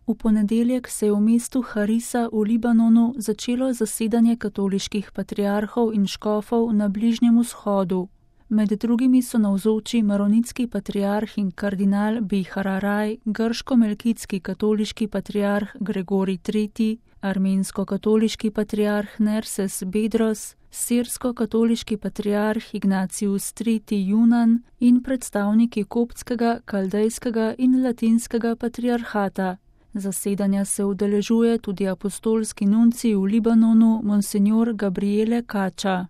V ponedeljek se je v mestu Harisa v Libanonu začelo zasedanje katoliških patriarhov in škofov na Bližnjem vzhodu. Med drugimi so navzoči maronitski patriarh in kardinal Bejhararaj, grško-melkitski katoliški patriarh Gregorij III., armensko-katoliški patriarh Nerses Bedros, sirsko-katoliški patriarh Ignacius III. Junan in predstavniki koptskega, kaldejskega in latinskega patriarhata. Zasedanja se udeležuje tudi apostolski nuncij v Libanonu monsignor Gabriele Kača.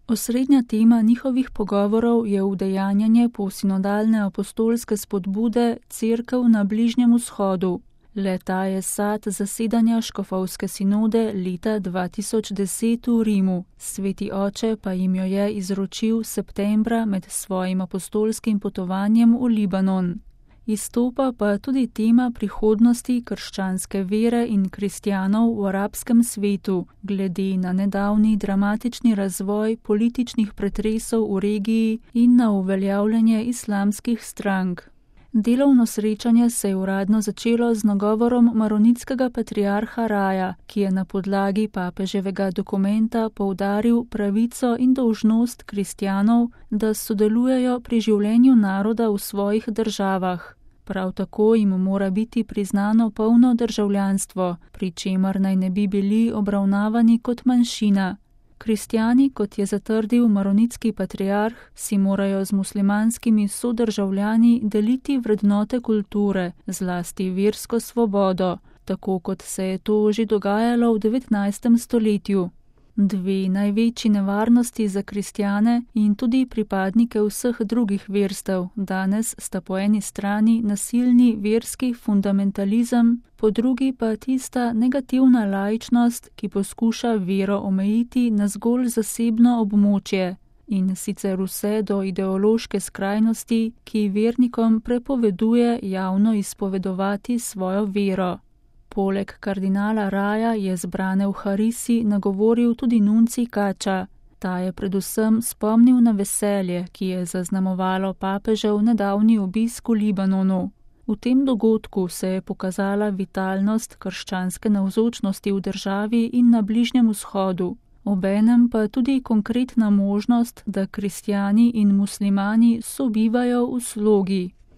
Osrednja tema njihovih pogovorov je udejanjanje posinodalne apostolske spodbude Cerkev na Bližnjem vzhodu. Le-ta je sad zasedanja škofovske sinode leta 2010 v Rimu, Sveti oče pa jim jo je izročil septembra med svojim apostolskim potovanjem v Libanon. Izstopa pa tudi tema prihodnosti krščanske vere in kristjanov v arabskem svetu, glede na nedavni dramatični razvoj političnih pretresov v regiji in na uveljavljanje islamskih strank. Delovno srečanje se je uradno začelo z nagovorom maronitskega patriarha Raja, ki je na podlagi papeževega dokumenta poudaril pravico in dolžnost kristjanov, da sodelujejo pri življenju naroda v svojih državah. Prav tako jim mora biti priznano polno državljanstvo, pri čemer naj ne bi bili obravnavani kot manjšina. Kristjani, kot je zatrdil maronitski patriarh, si morajo z muslimanskimi sodržavljani deliti vrednote kulture, zlasti versko svobodo, tako kot se je to že dogajalo v 19. stoletju. Dve največji nevarnosti za kristjane in tudi pripadnike vseh drugih verstev danes sta po eni strani nasilni verski fundamentalizem, po drugi pa tista negativna laičnost, ki poskuša vero omejiti na zgolj zasebno območje, in sicer vse do ideološke skrajnosti, ki vernikom prepoveduje javno izpovedovati svojo vero. Poleg kardinala Raja je zbrane v Harisi nagovoril tudi nuncij Kača. Ta je predvsem spomnil na veselje, ki je zaznamovalo papežev nedavni obisk v Libanonu. V tem dogodku se je pokazala vitalnost krščanske navzočnosti v državi in na Bližnjem vzhodu. Obenem pa tudi konkretna možnost, da kristjani in muslimani sobivajo v slogi.